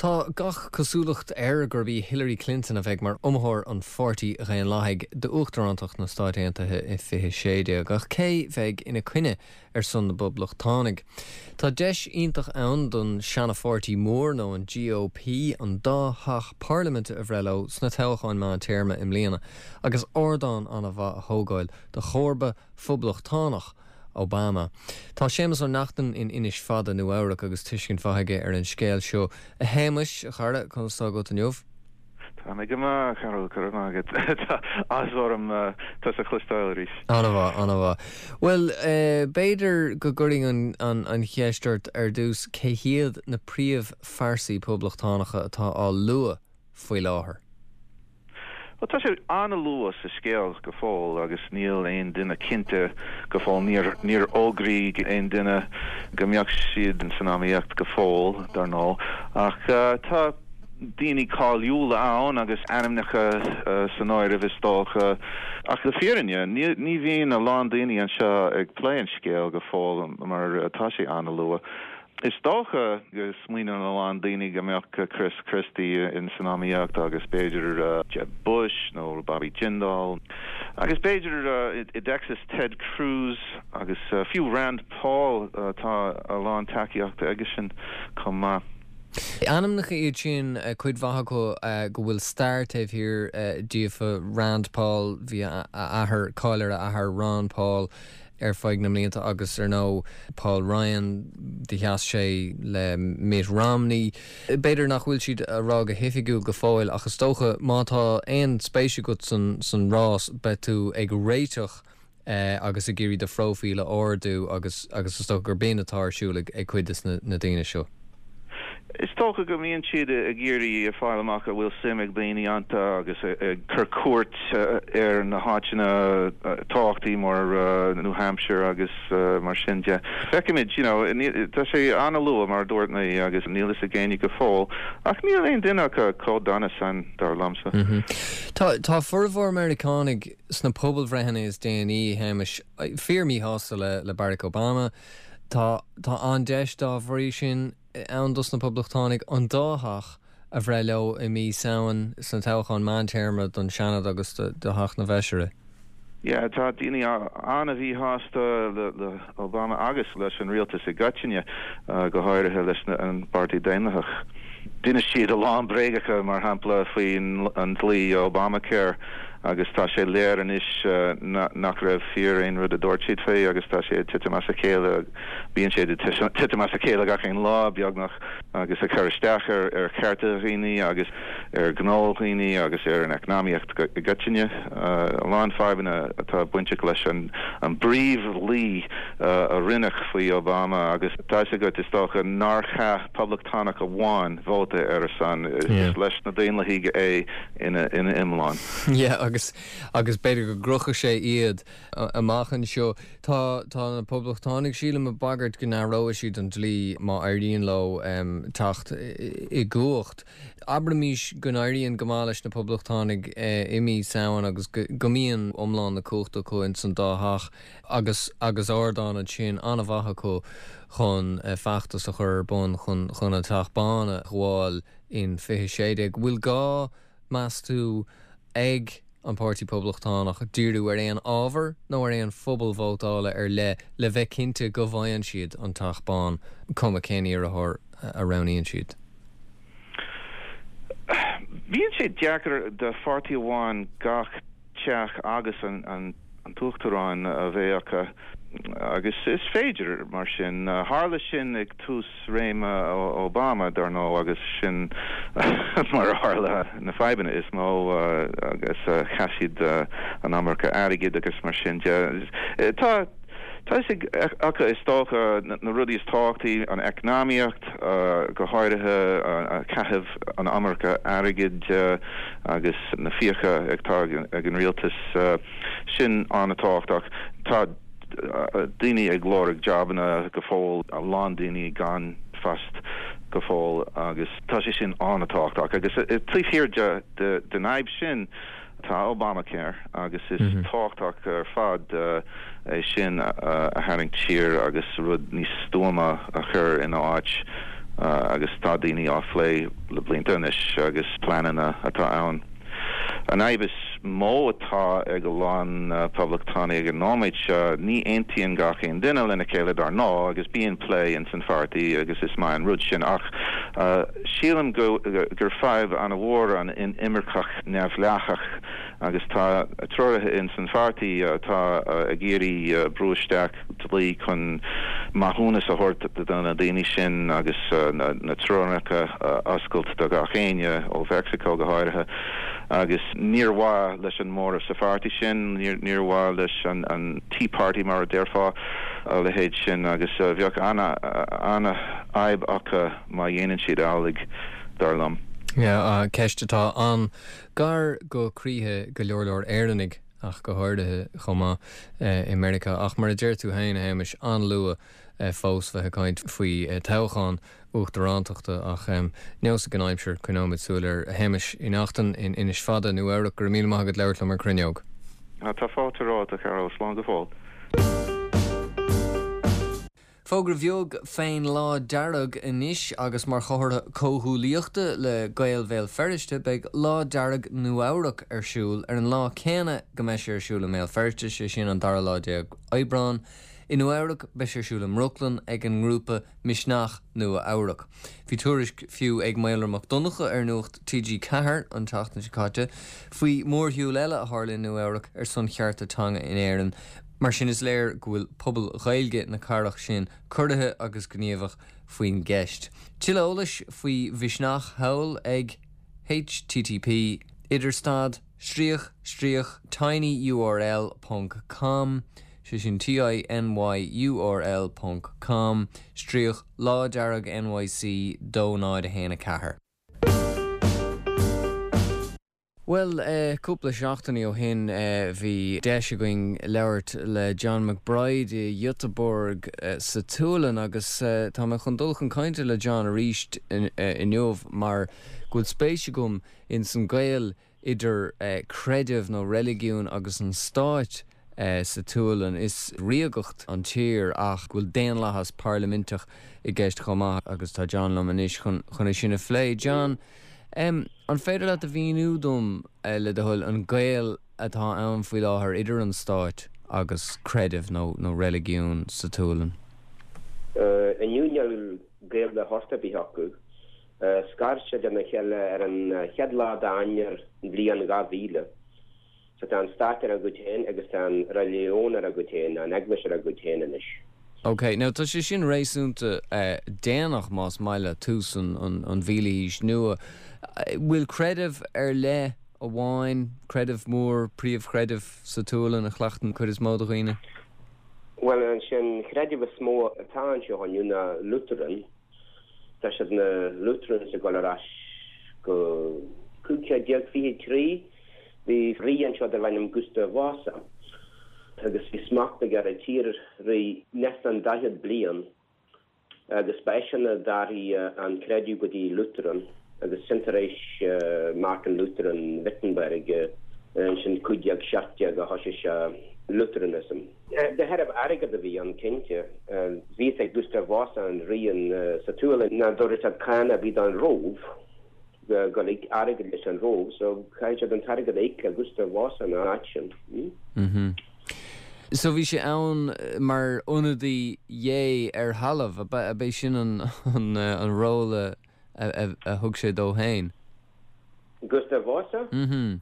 Tá gach cosúlacht air gurb í Hillary Clinton a bheidh mar iomaitheoir an Pháirtí Dhaonlathaigh d'uachtarántacht na Stáit Aontaithe i 2016, ach cé bheidh ina coinne ar son na bPoblachtánaigh? Tá deis iontach ann don seana-pháirtí mór, nó an GOP, an dá theach parlaiminte a bhreith leo sna toghcháin meántéarma i mbliana agus ardán an-mhaith a thógáil do chomharba phoblachtánach Obama. Tá Séamus Ó Neachtain in Inis Fada, Nua Eabhrac agus tuiscint mhaith aige ar an scéal seo. A Shéamuis, a chara, conas tá agat inniu? Tá mé go maith, a Chearbhaill, go raibh maith agat. Tá áthas orm tusa a chloisteáil arís. An-mhaith, an-mhaith. Bhuel, b'fhéidir go gcuirfinn an cheist ort ar dtús, cé hiad na príomhphearsaí poblachtánacha atá á lua faoi láthair? Bhuel, tá sé an-luath sa scéal go fóill agus níl aon duine cinnte go fóill. Níor, níor fhógraíodh aon duine go mbeadh siad san iomaíocht go fóill, dar ndóigh. Ach tá daoine cáiliúla ann agus ainmneacha san áireamh, is dócha. Ach le fírinne, ní, ní bhíonn a lán daoine anseo ag plé an scéil go fóill mar tá sé an-luath. Is dócha go smaoineann a lán daoine go mbeadh Chris Christie in san iomaíocht agus b'fhéidir Jeb Bush nó Bobby Jindal agus b'fhéidir i dTexas Ted Cruz agus fiú Rand Paul, tá a lán tacaíochta aigesean chomh maith. Ainmneacha iad sin, cuid mhaith acu, go bhfuil stair taobh thiar díofa. Rand Paul, bhí a athair, cáil ar a athair Ron Paul, ar feadh na mblianta agus ar ndóigh Paul Ryan, do sheas sé le Mitt Romney. B'fhéidir nach bhfuil siad á rá go hoifigiúil go fóill ach is dócha má tá aon spéis agat san rás beidh tú ag réiteach agus ag iarraidh do phróifíl a ardú agus agus is dócha gur b'in atá ar siúl ag cuid de na daoine seo. Is dócha go mbíonn siad ag iarraidh fáil amach an bhfuil suim ag daoine iontu agus ag cur cuairt ar na háiteanna tábhachtaí mar New Hampshire agus mar sin de. Feicfimid, you know, tá sé an-luath mar a dúirt mé agus níl fhios ag éinne go fóill ach níl aon duine acu chomh dona san, dar liomsa. Tá, tá formhór Meiriceánaigh sna pobalbhreitheanna is déanaí, a Shéamais, fíor míshásta le, le Barack Obama. Tá tá an-deis dá bhrí sin ann dos na Poblachtánaigh an dá theach a bhreith leo i mí Samhain sna toghcháin meántéarma don Seanad agus do Theach na bhFeisirí. Yeah, tá daoine an-mhíshásta le Obama agus leis an rialtas i gcoitinne, go háirithe leis an bPáirtí Daonlathach. D'inis siad a lán bréagacha, mar shampla faoin an dlí Obamacare. Agus tá sé léir anois nach raibh fíor aon rud a dúirt siad faoi agus tá sé ag titim as a chéile, bíonn sé ag titim as a chéile gach aon lá, beagnach, agus ag cur isteach ar chearta dhaoine agus ar ghnó dhaoine agus ar an eacnamaíocht i gcoitinne. A lán fadhbanna atá bainteach leis an bpríomhdhlí a rinneadh faoi Obama agus tá fhios agat, is dócha, nár chaith poblachtánach amháin vóta ar a son. Is leis na Daonlathaigh é. ina iomlán. Yeah agus agus b'fhéidir go gcrochfaidh sé iad amach anseo. Tá tá na Poblachtánaigh, sílim, ag bagairt go n-athróidh siad an dlí má éiríonn leo teacht i gcumhacht. Abraimís go n-éiríonn go maith leis na Poblachtánaigh i mí Samhain agus go go mbíonn iomlán na cumhachta acu ins an dá theach agus agus ardán ansin an-mhaith acu chun feachtas a chur ar bun chun chun an Teach Bán a ghabháil. in 2016. Bhfuil gá, meas tú, ag an Páirtí Poblachtánach díriú ar aon ábhar nó ar aon phobal vótála ar leith le bheith cinnte go bhfaigheann siad an Teach Bán, cuma cén iarrthóir a roghnaíonn siad? Bíonn sé deacair do pháirtí amháin gach teach agus an t-uachtarán a bheith acu agus is féidir, mar sin. Tharla sin ag tús réime Obama, dar ndóigh, agus sin mar a tharla na fadhbanna is mó agus chaith siad an iomarca airgid agus mar sin de. Tá. Tá a fhios acu is dócha na rudaí is tábhachtaí, an eacnamaíocht, go háirithe caitheamh an iomarca airgid agus na fiacha atá ag an rialtas, sin an-tábhachtach. Tá daoine ag lorg jabanna go fóill, a lán daoine gan phost go fóill agus tá sé sin an-tábhachtach. Agus taobh thiar den fhadhb sin, Tá Obamacare agus is tábhachtach ar fad é sin a tharraingt siar agus rud níos stuama a chur ina áit agus tá daoine á phlé le blianta anois agus pleananna atá ann. An fhadhb is mó atá ag a lán poblachtánaigh ag an nóiméad seo, ní aontaíonn gach aon duine lena chéile dar ndóigh agus bíonn plé ins an pháirtí agus is maith an rud sin ach sílim gur fadhb an-mhór an inimirceach neamhdhleathach agus tá treoraithe ins an pháirtí atá ag iarraidh brú isteach dlí chun maithiúnas a thabhairt do na daoine sin agus na teorainneacha a oscailt do gach éinne, ó Mheicsiceo go háirithe. Agus níor mhaith leis an móramh sa pháirtí sin, níor mhaith leis an Tea Party mar a déarfá, a leithéid sin agus bheadh an-fhadhb acu má dhéanann siad amhlaidh. dar liom. Yeah, ceist atá an-ghar go croíthe go leor leor Éireannaigh ach go háirithe chomh maith i Meiriceá. Ach mar a deir tú féin, a Shéamais, an-luath fós bheith ag caint faoi toghchán uachtarántachta ach neosfaidh an aimsir, coinneoimid súil air. A Shéamais Uí Neachtain in Inis Fada, Nua Eabhrac, go raibh míle maith agat labhairt liom ar Cruinneog. Tá fáilte romhat, a Chearbhaill. Slán go fóill. Fógra bheag fén Lá Dearg anois agus mar chomhartha comhghuaillíochta le Gaeil Bhéal Feirste beidh Lá Dearg Nua-Eabhrac ar siúl ar an lá céanna go mbeidh sé ar siúl i mBéal Feirste, sé sin an dara lá déag Aibreán. I Nua-Eabhrac beidh sé ar siúl i mBrooklyn ag an ngrúpa Misneach Nua-Eabhrac. Bhí tuairisc fiú ag Maolra Mac Donncha ar Nuacht TG4 an tseachtain seo caite faoi mhórshiúl eile a tharla i Nua-Eabhrac ar son chearta teanga in Éirinn. Mar sin is léir go bhfuil pobal Ghaeilge na cathrach sin corraithe agus gníomhach faoin gceist. Tuilleadh eolais faoi Mhisneach thall ag http idirstad stríoc stríoc tinyurl ponc com, sé sin tinyurl ponc com stríoc Lá Dearg NYC 2 0 1 4. Bhuel, cúpla seachtainí ó shin bhí deis againn labhairt le John McBride i Göteborg sa tSualainn agus tá mé chun dul chun cainte le John arís inniu mar go bhfuil spéis agam ins an gaol idir creideamh nó reiligiún agus an stáit sa tSualainn. Is ríogacht an tír ach go bhfuil daonlathas parlaiminteach i gceist chomh maith agus tá John liom anois chun é sin a phlé. John. An féidir leat a mhíniú dom, le do thoil, an gaol atá ann faoi láthair idir an stáit agus creideamh nó nó reiligiún sa tSualainn? Inniu níl gaol de shórt ar bith acu. Scar siad lena chéile ar an chéad lá d'Eanáir bliain 2000. So tá an stát ar a gcuid féin agus tá an reiligiún ar a gcuid féin, an eaglais ar a gcuid féin anois. Ok, now tá sé sin réasúnta déanach más maith leat, tús an mhíle haois nua. Bhfuil creideamh ar leith amháin, creideamh mór, príomhchreideamh sa tSualainn a chleachtann cuid is mó de dhaoine? Bhuel, an creideamh is mó atá anseo inniu ná Lutheran. Tá siad na Lutherans ag dul ar ais go 1523. Bhí rí anseo darbh ainm Gustav Vasa agus bhí smacht aige ar an tír thart fán 40 bliain agus ba eisean a d'athraigh an creideamh go dtí Lutheran agus sin tar éis Martin Luther in Wittenberg ansin 1517 a thosaigh sé Lutheranism. De thairbhe airgead a bhí ann cinnte. Bhí fhios ag Gustav Vasa an rí sa tSualainn nach dtabharfadh siad cáin ar bith don Róimh. go ag airgead leis an Róimh so caithfidh siad an t-airgead a íoc le Gustav Vasa ina áit sin. Mm-hmm. So bhí sé ann mar ionadaí Dhé ar thalamh, ab é sin an an ról a a thug sé dó féin? Gustav Vasa? Mm-hmm.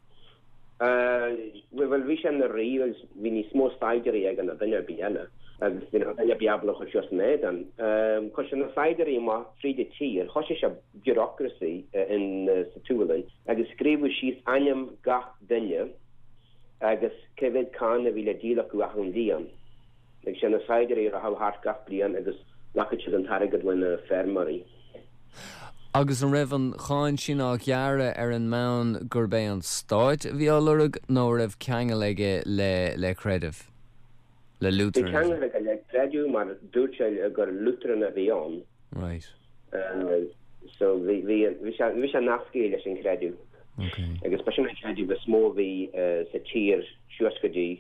Bhuel bhí sé ina rí agus bhí níos mó saighdiúirí aige ná duine ar bith eile agus ní raibh duine ar bith ábalta chur suas ina éadan. Chuir sé na saighdiúirí amach fríd an tír, thosaigh sé bureaucracy in sa tSualainn agus scríobhadh síos ainm gach duine agus cé mhéad cáin a bhí le díol acu achan bhliain. Agus sé na saighdiúirí a rachadh thart gach bliain agus ghlacfadh siad an t-airgead ó na feirmeoirí. Agus an raibh an cháin sin á ghearradh ar an mbonn gurb é an stáit a bhí á lorg nó a raibh ceangal aige le le creideamh? Le Bhí Lutheranism? ceangal aige le creideamh mar dúirt sé gur Lutheran a bhí ann. Right. So bhí bhí bhí sé bhí sé nascaithe leis an chreideamh. Okay. Agus ba sin an creideamh is mó a bhí sa tír suas go dtí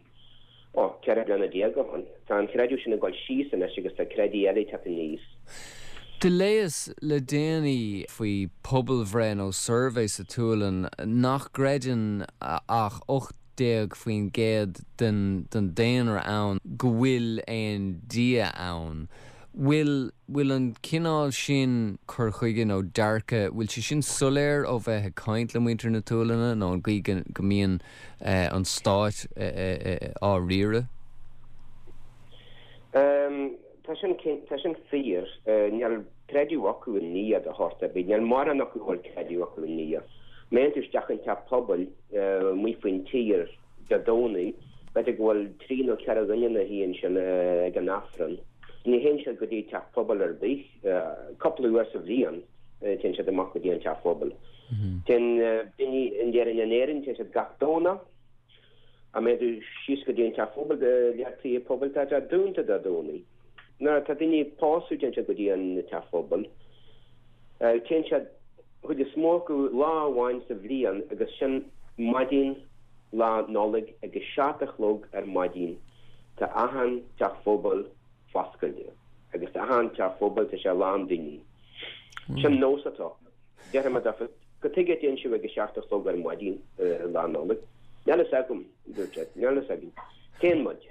Ó, 14 bliana ó shin. Tá an creideamh sin ag dul síos anois agus tá creidimh eile ag teacht aníos. Do léas le déanaí faoi pobalbhreith nó suirbhé sa tSualainn nach gcreideann ach 18% den daonra ann go bhfuil aon Dia ann. Bhfuil bhfuil an cineál sin cur chuige nó dearcadh, bhfuil sé sin soiléir ó bheith ag caint le muintir na tSualainne nó an gcaoi go mbíonn an stáit á riaradh? Tá sin, tá sin fíor. Níl creideamh acu i nDia de shórt ar bith. Níl mórán acu a bhfuil creideamh acu i nDia. Má théann tú isteach an teach pobail amuigh faoin tír Dé Domhnaigh, b'fhéidir go bhfuil trí nó ceithre dhuine ina shuí ansin ag an Aifreann. Ní théann siad go dtí teach pobail ar bith. Cúpla uair sa bhliain téann siad amach go dtí an teach pobail. Téann daoine in Éirinn in Éirinn, téann siad gach Domhnach. Má théann tú síos go dtí an teach pobail, lear tithe pobail, tá sé dúnta Dé Domhnaigh. Nuair atá daoine ag pósadh téann siad go dtí an teach pobail. Téann siad chuid is mó acu lá amháin sa bhliain agus sin maidin Lá Nollag ag a seacht a chlog ar maidin. Tá achan teach pobail foscailte agus achan teach pobail tá sé lán daoine. Sin nós atá acu. Déarfaidh mé daofa, cad tuige a dtéann sibh ag a seacht a chlog ar maidin Lá Nollag? Níl fhios agam, dúirt siad, níl fhios againn. Téann muid.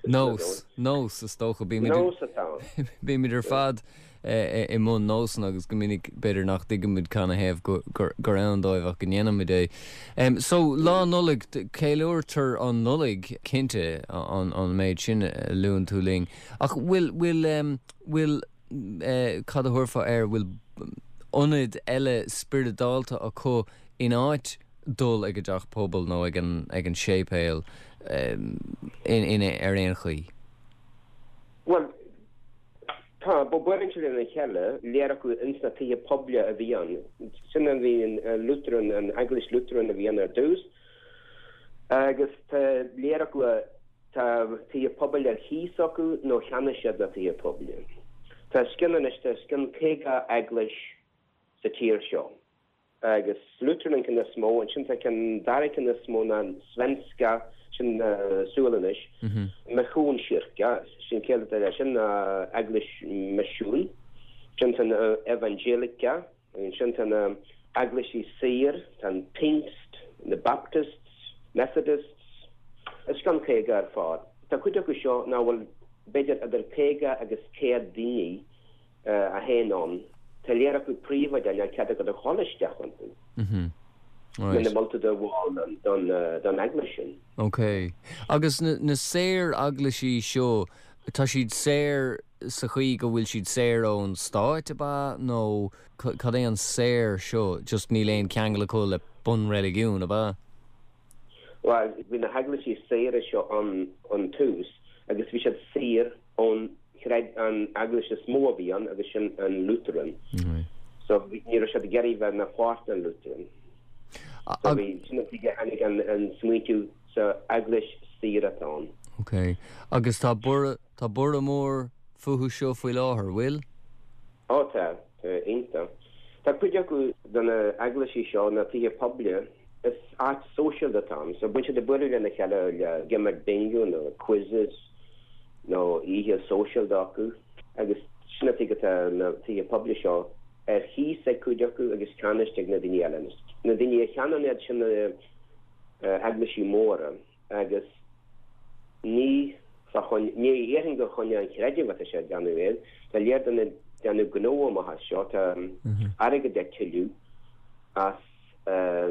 Nós, nós, is dócha. Bímid, Nós atá ann. bímid ar fad i mbun nósanna agus go minic b'fhéidir nach dtuigimid canathaobh gur ann dóibh ach go ndéanaimid é. So, Lá Nollag, ceiliúrtar an Nollaig, cinnte, an méid sin a luann tú linn. Ach bhfuil, bhfuil, bhfuil, cad a thabharfá air, bhfuil ionaid eile spioradálta acu in áit dul ag an dteach pobail nó ag an, ag an séipéal in, in, ar aon chaoi? Bhuel, tá, buaileann siad lena chéile, lear acu ins na tithe poiblí a bhí ann. Sin a bhí an Lutheran, an Eaglais Lutheran a bhí ann ar dtús agus tá lear acu a, Tá tithe pobail ar chíos acu nó cheannaigh siad na tithe pobail. Tá os cionn anois, tá os cionn 50 eaglais sa tír seo agus Lutheran an ceann is mó, ansin tá ceann, dara ceann is mó ná Svenska, sin Sualainnis, Missionskyrka, sin ciall atá leis sin ná Eaglais Misiún, sin tá na Evangeliska, Ansin tá na eaglaisí saor, tá an Pingst, na Baptists, Methodists, os cionn 50 ar fad. Tá cuid acu seo nach bhfuil b'fhéidir idir 50 agus 100 daoine a théann ann. Tá lear acu príobháideach, níl cead agat a dhul isteach iontu muna bhfuil tú i do bhall don eaglais sin. Ok. Agus na saor-eaglaisí seo, tá siad saor sa chaoi go bhfuil siad saor ón stáit, ab ea? Nó cad é an saor seo? Just níl aon cheangal acu le bunreiligiún, ab ea? Bhuel, bhí na heaglaisí saora seo ann ón tús agus bhí siad saor ón chreid, an eaglais is mó a bhí ann agus sin an Lutheran. So ní raibh siad ag iarraidh bheith ina pháirt den Lutheran. So bhí, sin an tuige a tháinig an smaointiú sa eaglais saor atá ann. Ok. Agus tá borradh Tá borradh mór fúthu seo faoi láthair, bhfuil? Ó tá, tá, iontach. Tá cuid acu de na eaglaisí seo, na tithe poiblí, is áit sóisialta atá ann, so bíonn siad ag bualadh lena chéile le ag imirt bingo nó quizzes nó oíche sóisialta acu agus sin an tuige atá na tithe poiblí seo ar chíos ag cuid acu agus ceannaiste ag na daoine eile. Na daoine a cheannaíonn iad sin na eaglaisí móra. agus ní fá choinne, ní dhéarfainn gur choinne an chreidimh atá sé ag déanamh é, tá lear daoine ag déanamh gnó amach as seo, tá airgead á tuilleamh as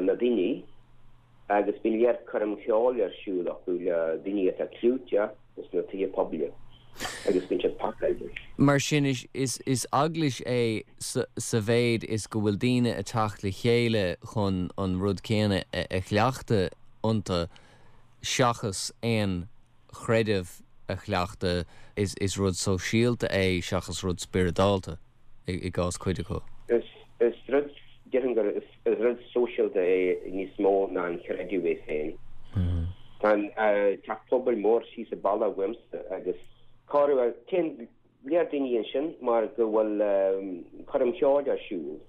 na daoine agus bíonn lear coirm cheoil ar siúl acu le daoine atá clúiteach sna tithe poiblí agus bíonn siad pacáilte. Mar sin is eaglais é sa mhéid is go bhfuil daoine ag teacht le chéile chun an rud céanna a chleachtadh iontu seachas aon chreideamh. a chleachtadh, is is rud sóisialta é seachas rud spioradálta i gcás cuid acu. Is is rud, déarfainn gur is rud sóisialta é níos mó ná an chreideamh é féin. Tá an teach pobail mór síos an bealach uaimse agus corruair téann lear daoine ansin mar go bhfuil coirm cheoil ar siúl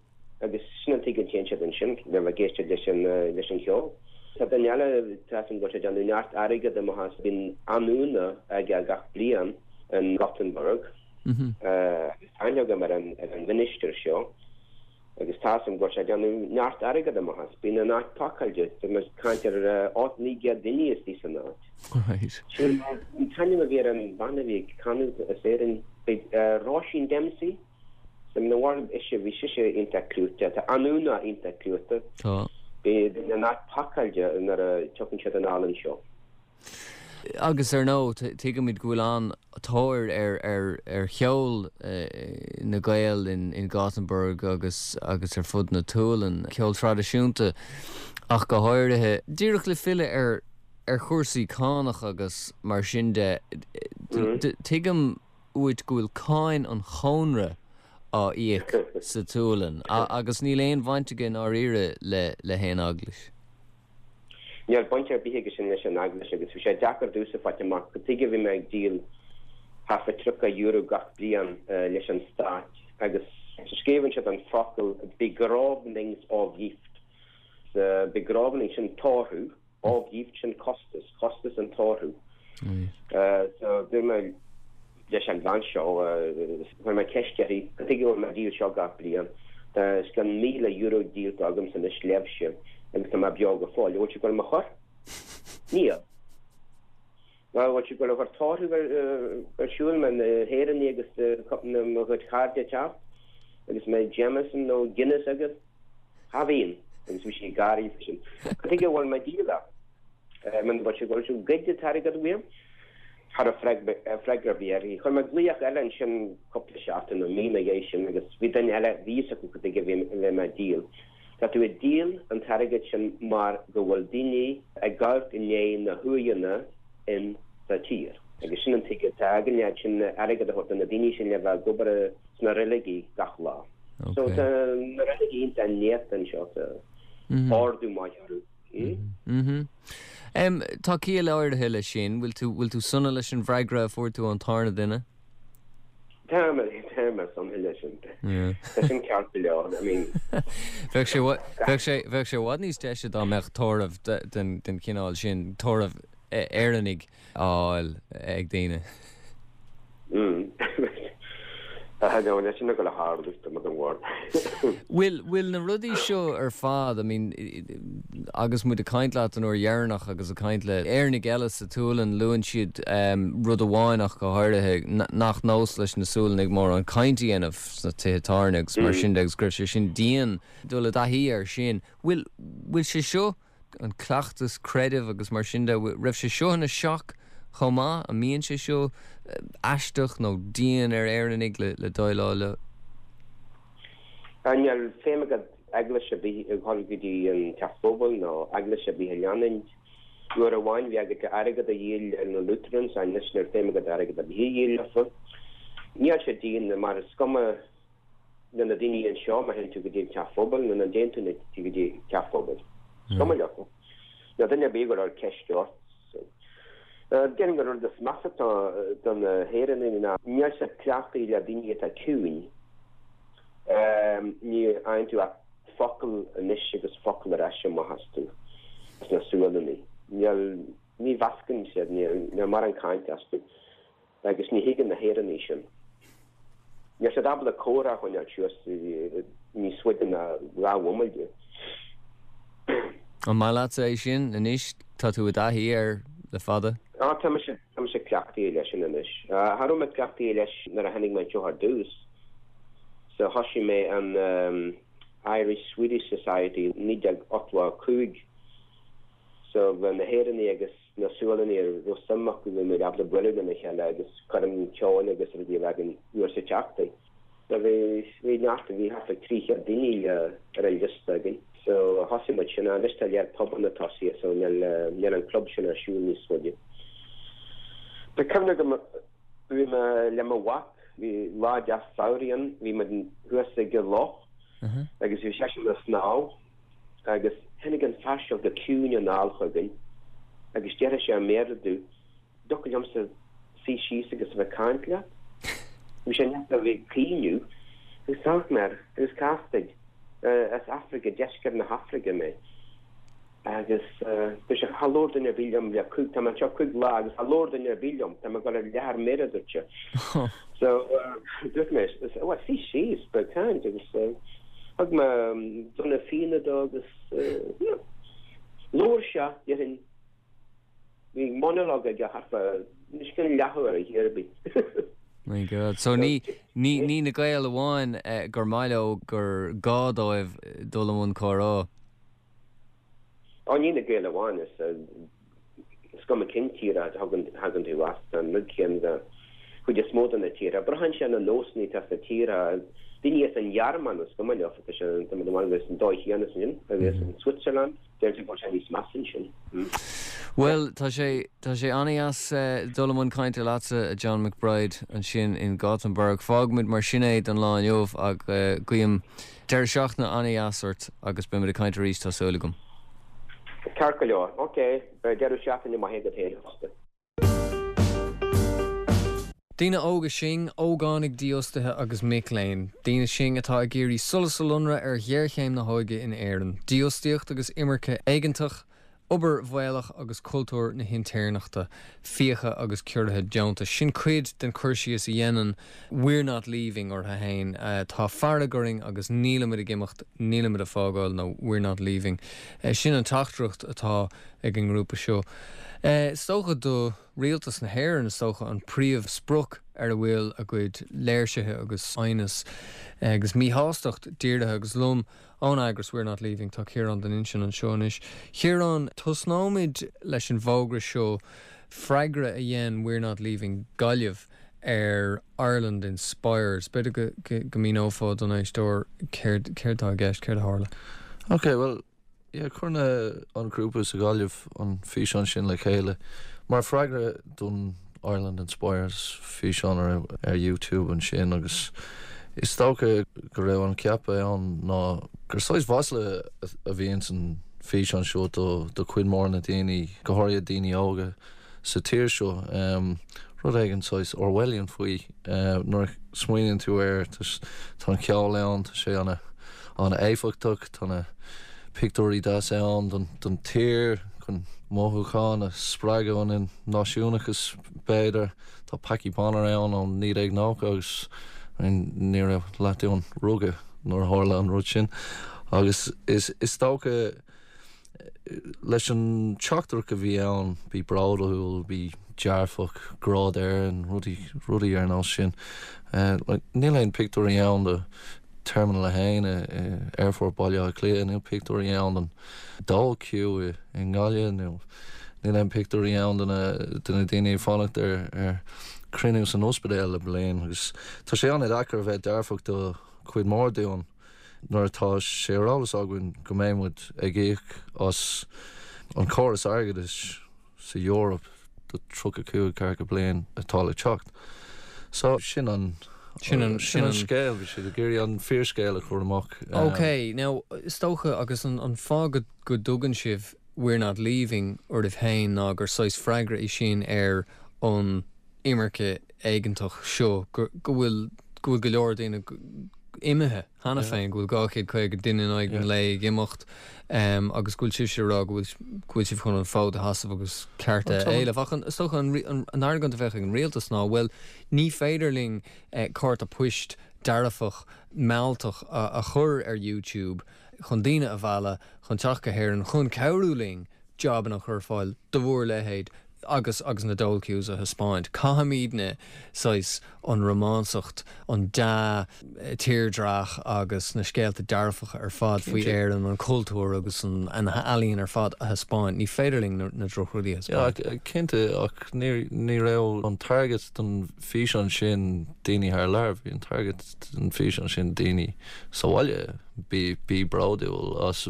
agus sin an tuige a dtéann siad ansin, le bheith ag éisteacht leis an leis an cheol. Tá duine eile, tá 'fhios a'm go bhfuil sé ag déanamh neart airgead amach as, bíonn anúna aige gach bliain in Gothenburg agus tá aithne agam ar an ar an mhinistir seo agus tá 'fhios a'm go bhfuil sé ag déanamh neart airgead amach as. Bíonn an áit pacáilte, tá mé ag caint ar 800, 900 duine istigh san áit. Right. Sin an t-ainm a bhí ar an bhean a bhí ag canadh as Éirinn, Róisín Dempsey? Sa mhar ise, bhí sise iontach clúiteach. Tá anúna iontach clúiteach. Tá. Bíonn an áit pacáilte nuair a tiocfainn siad anall anseo. Agus ar ndóigh, tuigimid go bhfuil an-tóir ar cheol na Gael in Gothenburg agus agus ar fud na tSualainne, ceol traidisiúnta ach go háirithe. Díreach le filleadh ar ar chúrsaí cánach agus mar sin de, tuigim uait go bhfuil cáin an chónra á íoc sa tSualainn agus níl aon bhaint aige i ndáiríre le haon eaglais. Níl baint ar bith aige sin leis an eaglais agus bhí sé deacair domhsa fáilt amach cad tuige a bhí mé ag díol thart fá €30 gach bliain leis an stát agus scríobhann siad an focal begravningsavgift. Begravning sin tórramh. Avgift sin costas, costas an tórraimh. So dúirt mé leis an bhean seo, chuir mé ceist uirthi, cad tuige a bhfuil mé ag díol seo gach bliain? Tá os cionn €1,000 díolta agamsa anois libhse agus tá mé beo go fóill. An bhfuil sibh ag goil mo chur? Níl. An bhfuil sibh ag goil a chur tórramh ar siúl, mbeidh na hÉireannaigh agus mo chuid cairde ag teacht agus mbeidh Jameson nó Guinness agaibh? Cha bhíonn. Agus bhí sí ag gáirí freisin. Cad tuige a bhfuil mé ag díol é? Muna bhfuil sibh ag goil a ghoid an t-airgead uaim? Cha raibh freagra ar bith uirthi. Chuir mé glaoch eile ansin cúpla seachtain nó mí ina dhiaidh sin agus bhí duine eile, bhí fhios acu cad tuige a bhí mé ag díol. Tá tú ag díol an t-airgead sin mar go bhfuil daoine ag amharc i ndiaidh na huaigheanna in sa tír. Agus sin an tuige atá againn leat sin airgead a thabhairt do na daoine sin le bheith ag obair sna reiligí gach lá. So tá na reiligí iontach néata anseo, tá ardú maith orthu. Tá ciall áirithe leis sin. Bhfuil tú, bhfuil tú sona leis an bhfreagra a fuair tú ón tarna duine? Tá mé, tá mé sona leis sin. Tá sin ceart go leor, I mean. Bheadh sé, bheadh sé, bheadh sé i bhfad níos deise dá mbeadh tórramh den, den chineál sin, tórramh Éireannaigh á fháil ag daoine. Tá leis sin ag dul a tharlú, tá mé den bhord. Bhfuil, bhfuil na rudaí seo ar fad, I mean, agus muid ag caint leat an uair dheireanach agus ag caint le Éireannaigh eile sa tSualainn, luann siad rud amháin ach go háirithe, nach nós leis na Sualannaigh mórán caint a dhéanamh sna tithe tábhairne agus mar sin de agus go raibh sé sin dian dul i dtaithí air sin. Bhfuil, bhfuil sé seo an cleachtas creidimh agus mar sin de, raibh sé seo ina shock chomh maith? An mbíonn sé seo aisteach nó dian ar Éireannaigh le le déileáil leo? Níl feidhm agat eaglais ar bith a dhul go dtí an teach pobail nó eaglais ar bith a leanúint. Uair amháin bhí agat airgead a dhíol le na Lutherans, anois níl feidhm agat airgead ar bith a dhíol leofa. Níl sé dian mar is cuma le na daoine anseo má théann tú go dtí an teach phobail nó ná dtéann tú go dtí teach phobail. Is cuma leo. Níl duine ar bith ag cur ceist ort. Déarfainn gur rud is measa atá do na hÉireannaigh ná níl siad cleachtaithe le daoine atá ciúin. Ní fhaigheann tú ach focal anois agus focal ar ais amach astu, as na Sualannaigh. Níl, ní mheascann siad, níl mórán caint astu. Agus ní thuigeann na hÉireannaigh sin. Níl siad ábalta comhrá a choinneáil suas níos faide ná 2 bhomaite. An maith leatsa é sin anois? Tá tú i dtaithí air le fada. Á, tá mise, tá mise cleachtaithe leis sin anois. Cha raibh mé cleachtaithe leis nuair a tháinig mé anseo ar dtús. So thosaigh mé an Irish Swedish Society 1985. So bheadh na hÉireannaigh agus na Sualannaigh a raibh suim acu bhí muid ábalta bualadh lena chéile agus coirm ceoil agus rudaí a bheith againn uair sa tseachtain. So bhí, bhí neart, bhí thart ar 300 daoine ar an liosta againn. So thosaigh muid sin, anois tá lear pubanna tosaithe so níl, níl an club sin ar siúl níos faide. Tá cuimhne agam bhí mé le mo mhac, bhí lá deas samhraidh ann, bhí muid thuas ag an loch agus bhí seisean ag snámh agus tháinig an fear seo go ciúin anall chugainn agus déarfaidh sé i mBéarla domh, dtiocfadh liomsa suí síos agus a bheith ag caint leat? Bhí sé neart a bhí ag caoineadh agus d'amharc mé air agus cá as duit? As Afraice, deisceart na hAfraice mé. Agus dúirt sé, Char labhair duine ar bith liom le cúig, tá mé anseo cúig lá agus char labhair duine ar bith liom, tá mé ag dul ar leath ar mire, a dúirt sé. So dúirt mé, bhuel, suigh síos, beidh caint agus thug mé gloine fíona dó agus labhair sé, déarfainn, bhí monologue aige thart fá, níos cionn leathuair ar chor ar bith. My God. So ní, ní, ní na Gaeil amháin gur maith leo gur gá dóibh dul i mbun comhrá. Ó, ní na Gaeil amháin, is cuma cén tír a thagann tú as, tá an rud céanna don chuid is mó de na tíortha. Braitheann sé ar na nósanna atá sna tíortha. Daoine as an Ghearmáin, is cuma leofa, tá sé tá muid amháin agus an dóigh chéanna sin, agus an Switzerland, deirtear go bhfuil sé níos measa ansin. Bhuel, tá sé, tá sé an-dheas dul i mbun cainte leatsa, a John McBride, ansin in Gothenburg. Fágfaimid mar sin é don lá inniu ach guím Deireadh seachtaine an-dheas ort agus beimid ag caint arís, tá súil agam. Ceart go leor. Ok. Beidh deireadh seachtaine maith agat féin fosta. Daoine óga sinn, ógánaigh dífhostaithe agus mic léinn. Daoine sinn atá ag iarraidh solas a lonradh ar ghéarchéim na hóige in Éirinn, dífhostaíocht agus imirce éigeantach, Obair bhaolach agus cultúr na hintéirneachta, fiacha agus ciorruithe deontais. Sin cuid den chur síos a dhéanann We're Not Leaving orthu féin. Tá fearg orainn agus nílimid ag imeacht, nílimid ag fágáil nó We're Not Leaving. Sin an teachtaireacht atá ag an ngrúpa seo. Is dócha do rialtas na hÉireann, is dócha, an príomh-sprioc ar a bhfuil a gcuid léirsithe agus aighneas agus míshástacht dírithe agus liom Ón eagras We're Not Leaving, tá Ciarán Duinnshinn anseo anois. Ciarán, tosnóimid leis an bhfógra seo, freagra a dhein We're Not Leaving Gaillimh ar Ireland Inspires. B'fhéidir go go míneofá don éisteoir céard céard atá i gceist, céard a tharla? Ok, bhuel, yeah, chuir na, an grúpa sa Ghaillimh an físeán sin le chéile mar freagra don Ireland Inspires físeán a raibh ar YouTube ansin agus is dócha go raibh an ceapadh ann ná gur saghas mhasla a bhí ins an físeán seo do do chuid mór na daoine, go háirithe daoine óga sa tír seo. Rud éigin saghas Orwellian faoi nuair a smaoiníonn tú air, tá an ceol ann, tá sé ana ana-éifeachtach, tá na pictiúirí deasa ann don tír chun mothúcháin a spreagadh ionainn, náisiúnachas b'fhéidir. Tá Packie Bonner ann ó 1990 agus ní raibh leath dúinn rugadh nuair a tharla an rud sin agus is dócha leis an teachtaireacht a bhí ann, bí bródúil, bí dearfach, grá d'Éirinn, rudaí, rudaí ar nós sin. Níl aon pictiúirí ann de Terminal 1 i Aerfort Baile Átha Cliath, níl pictiúirí ann den dole queue i nGaillimh nó níl aon pictiúirí ann de na, de na daoine ag fanacht ar, ar cruinniú san ospidéal le bliain agus tá sé an-deacair a bheith dearfach do chuid mór dúinn. nuair atá sé ar eolas againn go mbeidh muid ag íoc as an chóras airgeadais sa Eoraip do 35 ceathracha bliain atá le teacht. So sin an sin an sin an scéal, bhí siad ag iarraidh an fíorscéal a chur amach. Ok, now is dócha agus an an fáth go go dtugann sibh We're Not Leaving oraibh féin ná gur saghas freagra é sin ar an imirce éigeantach seo, go bhfuil go bhfuil go leor daoine imithe cheana féin, go bhfuil 250 duine in aghaidh an lae ag imeacht agus go bhfuil sibhse ag rá go bhfuil go bhfuil sibh chun an fód a sheasamh agus cearta a éileamh. Ach is dócha an an argóint a bheadh ag an rialtas ná, bhuel, ní féidir linn cárta poist dearfach mealltach a chur ar YouTube chun daoine a mhealladh chun teacht go hÉirinn chun cabhrú linn jabanna a chur ar fáil do bhur leithéid agus agus na dole queues a thaispeáint. Caithfimidne saghas an rómánsacht, an dea-tírdhreach agus na scéalta dearfacha ar fad faoi Éirinn, an cultúr agus an ealaín ar fad a thaispeáint. Ní féidir linn na drochrudaí a thaispeáint. Yeah, cinnte, ach ní ní raibh an target don físeán sin daoine thar lear, bhí an target don físeán sin daoine sa bhaile. Bí bí bródúil as,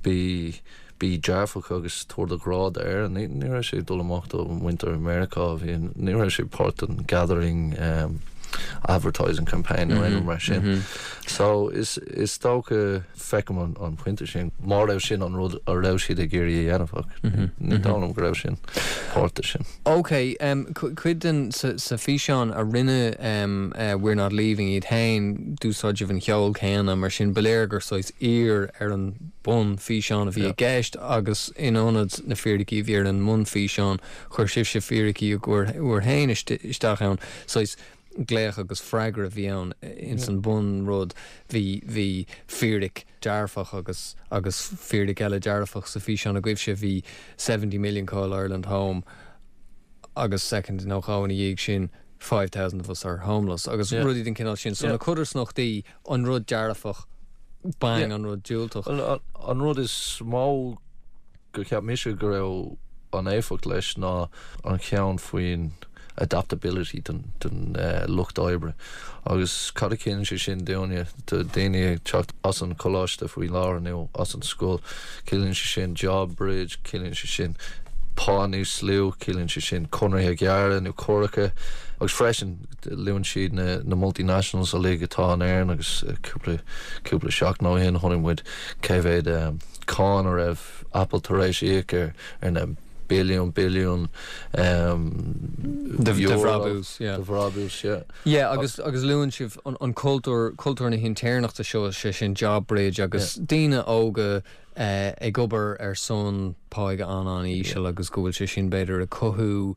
bí. Bí dearfach agus tabhair do ghrá d'Éirinn. Ní ní raibh sé ag dul amach do mhuintir Mheiriceá, bhí ní raibh sé páirt den gathering advertising campaign nó aon rud mar sin. So is is dócha feicim an an pointe sin má raibh sin an rud a raibh siad ag iarraidh a dhéanamh ach ní dóigh liom go raibh sin páirt de sin. Ok, cuid den sa sa físeán a rinne We're Not Leaving iad féin d'úsáid sibh an cheol céanna mar sin ba léir gur saghas aoir ar an bun-fhíseán a bhí i gceist agus in ionad na fíricí a bhí ar an mbun-fhíseán, chuir sibhse fíricí bhur féin isteach ann. Saghas glaoch agus freagra a bhí ann ins an bun-rud. Bhí, bhí fíric dearfach agus, agus fíric eile dearfach sa físeán agaibhse. Bhí 70 million call Ireland home agus soicind nó dhó ina dhiaidh sin 5,000 of us are homeless agus rudaí den chineál sin. So na codarsnachtaí an rud dearfach, bang, an rud diúltach. An rud is mó gur cheap mise go raibh an éifeacht leis ná an cheann faoin adaptability den lucht oibre agus cad a chiallaíonn sé sin dúinne, do daoine ag teacht as an choláiste faoi láthair nó as an scoil, ciallaíonn sé sin job bridge, ciallaíonn sé sin pá níos lú, ciallaíonn sé sin conarthaí gearra nó córacha agus freisin Luann siad na multinationals uilig atá in Éirinn agus cúpla cúpla seachtain ó shin chonaic muid cé mhéad cáin a raibh Apple tar éis íoc ar ar na billiún billiún de bhrabús yeah. De bhrabús yeah. Yeah agus agus luann sibh an an cultúr cultúr na hintéirneachta seo sé sin job bridge agus daoine óga ag obair ar son páighe an-an-íseal agus go bhfuil sé sin b'fhéidir ag cothú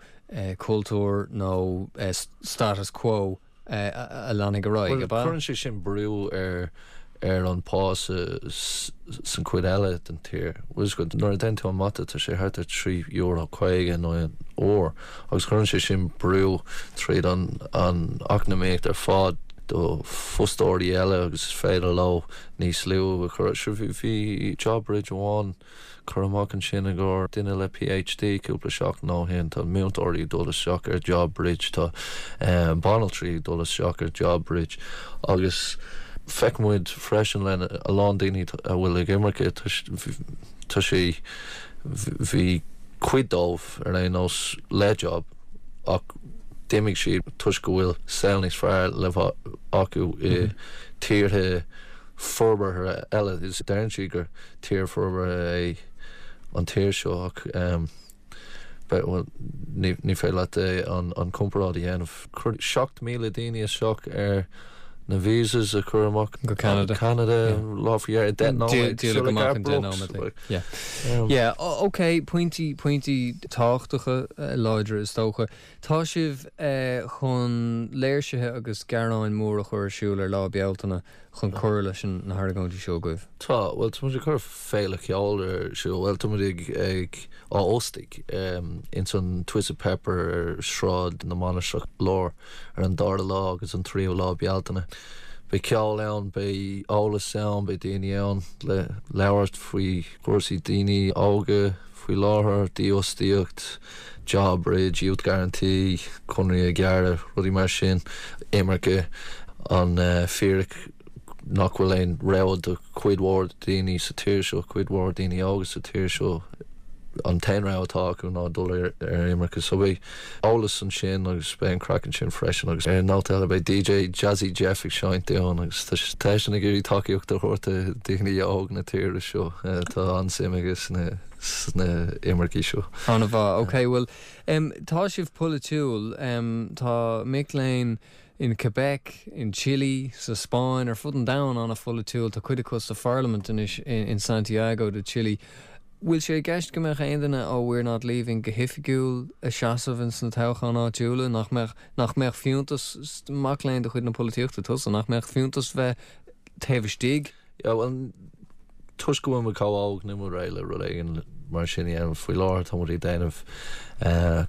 cultúr nó status quo a leanfaidh ar aghaidh, ab ea? Cuireann sé sin brú ar ar an pá sa san chuid eile den tír. Bhfuil fhios agat, nuair a déanann tú an mata tá sé thart ar €3.50 in aghaidh an uair agus cuireann sé sin brú tríd an an eacnamaíocht ar fad do fostóirí eile agus is féidir leo níos lú a chur. Sure bhí job bridge amháin Curtha amach ansin i gcomhair duine le PhD cúpla seachtain ó shin. Tá múinteoirí ag dul isteach ar Job Bridge, tá banaltraí ag dul isteach ar Job Bridge agus feiceann muid freisin le a lán daoine a bhfuil ag imirce, tá sé, bhí cuid dóibh ar aon nós le job ach d'imigh siad toisc go bhfuil saol níos fearr le bheith acu i tíortha forbartha eile. Deireann siad gur tír forbartha é an tír seo ach bhuel ní féidir leat an comparáid a dhéanamh. Chuir 7,000 daoine isteach ar na visas a chur amach go Ceanada. Canada lá faoi dheireadh 10 nóiméad. Díoladh amach in 10 nóiméad. Yeah. Yeah, ok, pointí, pointí tábhachtacha láidre is dócha. Tá sibh chun léirsithe agus gearáin mór a chur ar siúl ar Lá Bealtaine chun cur leis na hargóintí seo agaibh. Tá, bhuel tá muid ag cur féile cheoil ar siúl, bhuel tá muid ag, ag á óstaigh ins an Twisted Pepper ar Sráid na Mainistreach Láir ar an dara lá agus an tríú lá Bealtaine. Beidh ceol ann, beidh eolas ann, beidh daoine ann le labhairt faoi chúrsaí daoine óga faoi láthair, dífhostaíocht, Job Bridge, Youth Guarantee, conarthaí gearra, rudaí mar sin, imirce, an fíric nach bhfuil aon rogha do chuid mhór daoine sa tír seo, cuid mhór daoine óga sa tír seo, an t-aon rogha atá acu ná dul ar imirce. So beidh eolas ansin agus beidh an craic ansin freisin agus ar nóta eile beidh DJ Jazzy Jeff ag seinnt dúinn agus tá seisean ag iarraidh tacaíocht a thabhairt do daoine óga na tíre seo. Tá an-suim aige sna sna imircigh seo. An-mhaith. Ok, bhuel, em, tá sibh polaitiúil. Em, tá mic léinn in Quebec, in Chile, sa Spáinn, ar fud an domhain an-pholaitiúil. Tá cuid acu sa pharlaimint anois in Santiago de Chile. Bhfuil sé i gceist go mbeadh aon duine ó We're Not Leaving go hoifigiúil ag seasamh ins na toghcháin áitiúla? Nach mbeadh, nach mbeadh fiúntas, mac léinn de chuid na polaitíochta tusa, nach mbeadh fiúntas bheith taobh istigh? Yeah, bhuel, toisc go bhfuil muid chomh óg, níl muid réidh le rud éigin mar sin a dhéanamh. Faoi láthair tá muid ag déanamh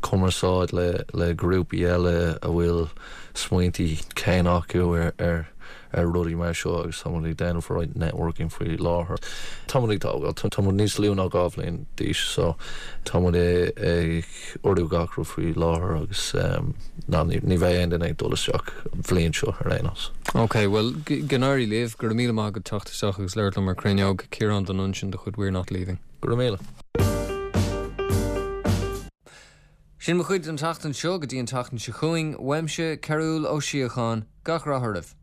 cumarsáid le le grúpaí eile a bhfuil smaointí céanna acu ar ar ar rudaí mar seo agus tá muid ag déanamh roinnt networking faoi láthair. Tá muid ag tógáil, tá muid níos lú ná 2 bhliain d'aois so tá muid ag urú gach rud faoi láthair agus ná ní bheidh aon duine ag dul isteach an bhliain seo ar aon nós. Ok, bhuel, go n-éirí libh, go raibh míle maith agat teacht isteach agus labhairt liom ar Cruinneog, Ciarán de Nuinseann de chuid We're Not Leaving. Go raibh míle. Sin mo chuid don tseachtain seo, go dtí an tseachtain seo chugainn, uaimse, Cearúll Ó Síocháin, gach rath oraibh.